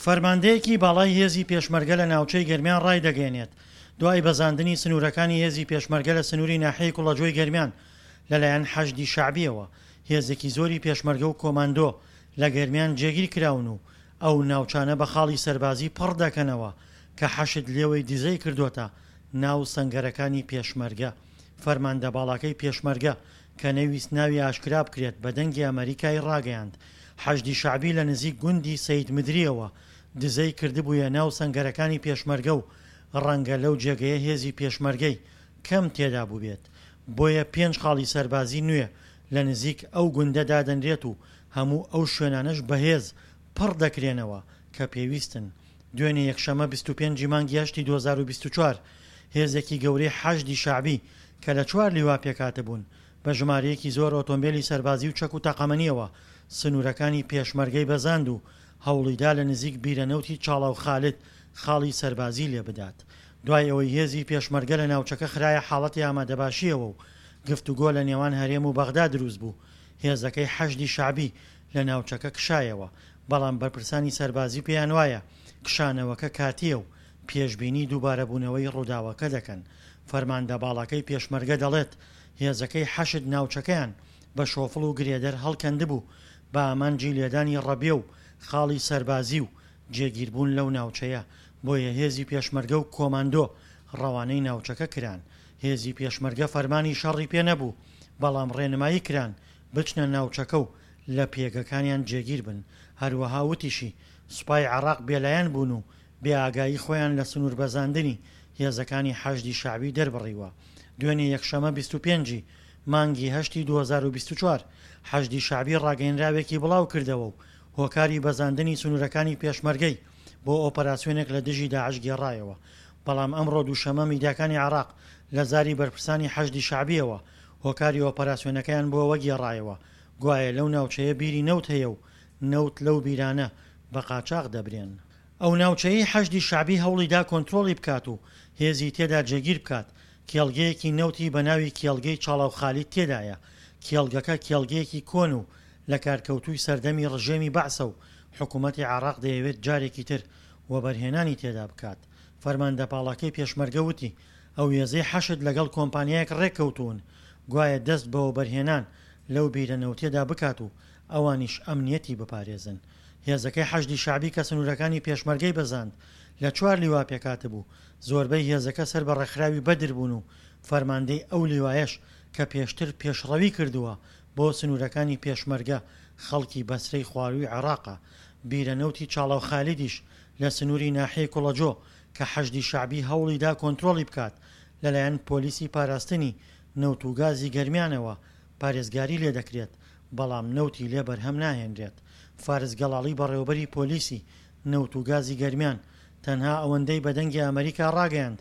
فەرماندەیەکی باڵای هێزی پێشمەرگە لە ناوچەی گەرمیان ڕایدەگەیەنێت، دوای بەزاندنی سنوورەکانی هێزی پێشمەرگە لە سنووری ناحیەی کوڵەجۆی گەرمیان لەلایەن حەشدی شەعبییەوە، هێزێکی زۆری پێشمەرگە و کۆماندۆ لە گەرمیان جێگیر کراون و ئەو ناوچانە بە خاڵی سەربازی پڕ دەکەنەوە کە حەشد لێوەی دزەی کردۆتە ناو سەنگەرەکانی پێشمەرگە. فەرماندە باڵاکەی پێشمەرگە کە نەیویست ناوی ئاشکرا بکرێت بە دەنگی ئەمەریکای ڕاگەیاند، حەشدی شەعبی لە نزیک گوندی سەید مدرییەوە دزەی کردبوویە ناو سەنگەرەکانی پێشمەرگە و ڕەنگە لەو جێگەیە هێزی پێشمەرگەی کەم تێدا بووبێت بۆیە پێنج خاڵی سەربازی نوێ لە نزیک ئەو گوندە دادەنرێت و هەموو ئەو شوێنانەش بەهێز پڕ دەکرێنەوە کە پێویستن. دوێنێ یەکشەممە 25 ی مانگی هەشتی 2024 هێزێکی گەورەی حەشدی شەعبی کە لە چوار لیوا پێکهاتبوون بە ژمارەیەکی زۆر ئۆتۆمبێلی سەربازی و چەک و تەقەمەنییەوە سنوورەکانی پێشمەرگەی بەزاند و هەوڵیدا لە نزیک بیرەنەوتی چاڵاو خالد خاڵی سەربازی لێبدات. دوای ئەوەی هێزی پێشمەرگە لە ناوچەکە خرایە حاڵەتی ئامادەباشییەوە و گفتوگۆ لە نێوان هەرێم و بەغدا دروستبوو، هێزەکەی حەشدی شەعبی لە ناوچەکە کشایەوە، بەڵام بەرپرسانی سەربازی پێیانوایە کشانەوەکە کاتییە و پێشبینی دووبارەبوونەوەی ڕووداوەکە دەکەن. فەرماندە باڵاکەی پێشمەرگە دەڵێت، هێزەکەی حەشد ناوچەکەیان بە شۆفڵ و گرێدەر هەڵکەندبوو بە ئامانجی لێدانی ڕەبیە و خاڵی سەربازی و جێگیربوون لەو ناوچەیە، بۆیە هێزی پێشمەرگە و کۆماندۆ ڕەوانەی ناوچەکە کران. هێزی پێشمەرگە فەرمانی شەڕی پێ نەبوو، بەڵام ڕێنمایی کران بچنە ناوچەکە و لە پێگەکانیان جێگیر بن. هەروەها وتیشی، سوپای عێراق بێلایەن بوون و بێ ئاگایی خۆیان لە سنووربەزاندنی هێزەکانی حەشدی شەعبی دەربڕیوە. دوێنێ یەکشەمە 25 ی مانگی هەشتی 2024 حەشدی شەعبی ڕاگەیەنراوێکی بڵاو کردەوە و هۆکاری بەزاندنی سنوورەکانی پێشمەرگەی بۆ ئۆپەراسیۆنێک لە دژی داعش گێڕایەوە. بەڵام ئەمڕۆ دووشەممە میدیاکانی عێراق لە زاری بەرپرسانی حەشدی شەعبییەوە هۆکاری ئۆپەراسیۆنەکەیان بۆ ئەوە گێڕایەوە گوایە لەو ناوچەیە بیری نەوت هەیە و نەوت لەو بیرانە بە قاچاخ دەبرێن. ئەو ناوچەیەی حەشدی شەعبی هەوڵی دا کۆنترۆڵی بکات و هێزی تێدا جێگیر بکات، کێڵگەیەکی نەوتی بە ناوی کێڵگەی چاڵاو خالید تێدایە، کێڵگەکە کێڵگەیەکی کۆن و لەکارکەوتووی سەردەمی ڕژێمی بەعسە و حکوومەتی عێراق دەیەوێت جارێکی تر وەبەرهێنانی تێدا بکات. فەرماندە باڵاکەی پێشمەرگە وتی، ئەو هێزەی حەشد لەگەڵ کۆمپانیایەک ڕێککەوتوون گوایە دەست بە وەبەرهێنان لەو بیرە نەوتیەدا بکات و ئەوانیش ئەمنیەتی بپارێزن. هێزەکەی حەشدی شەعبی کە سنوورەکانی پێشمەرگەی بەزاند لە چوار لیوا پێکهاتبوو، زۆربەی هێزەکە سەر بە ڕێکخراوی بەدر بوون و فەرماندەی ئەو لیوایەش کە پێشتر پێشڕەوی کردووە بۆ سنوورەکانی پێشمەرگە خەڵکی بەسرەی خوارووی عێراقە. بیرە نەوتی چاڵاو خالیدیش لە سنووری ناحیەی کوڵەجۆ کە حەشدی شەعبی هەوڵی دا کۆنترۆڵی بکات لەلایەن پۆلیسی پاراستنی نەوت و گازی گەرمیانەوە پارێزگاری لێ دەکرێت، بەڵام نەوتی لێ بەرهەم ناهێنرێت. فارس گەڵاڵی بەڕێوەبەری پۆلیسی نەوت و گازی گەرمیان تەنها ئەوەندەی بە دەنگی ئەمەریکا ڕاگەیاند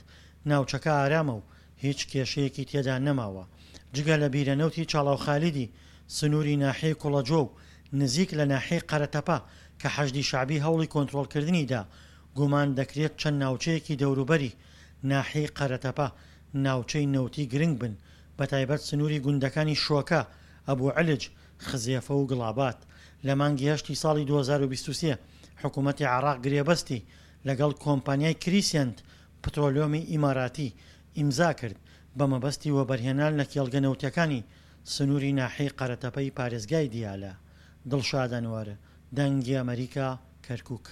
ناوچەکە ئارامە و هیچ کێشەیەکی تێدا نەماوە جگە لە بیرە نەوتی چاڵاوخالیدی سنووری ناحیەی کوڵەجۆ و نزیک لە ناحیەی قەرەتەپە کە حەشدی شەعبی هەوڵی کۆنترۆڵکردنی دا، گومان دەکرێت چەند ناوچەیەکی دەوروبەری ناحیەی قەرەتەپە ناوچەی نەوتی گرنگ بن بەتایبەت سنووری گوندەکانی شۆکە، ئەبو علج، خزێفە و گڵابات. لە مانگی هەشتی ساڵی 2023 حکوومەتی عێراق گرێبەستی لەگەڵ کۆمپانیای کریسێنت پترۆلیۆمی ئیماراتی ئیمزا کرد بە مەبەستی وەبەرهێنان لە کێڵگە نەوتیەکانی سنووری ناحیەی قەرەتەپەی پارێزگای دیالە. دڵشاد ئەنوەر، دەنگی ئەمەریکا، کەرکوک.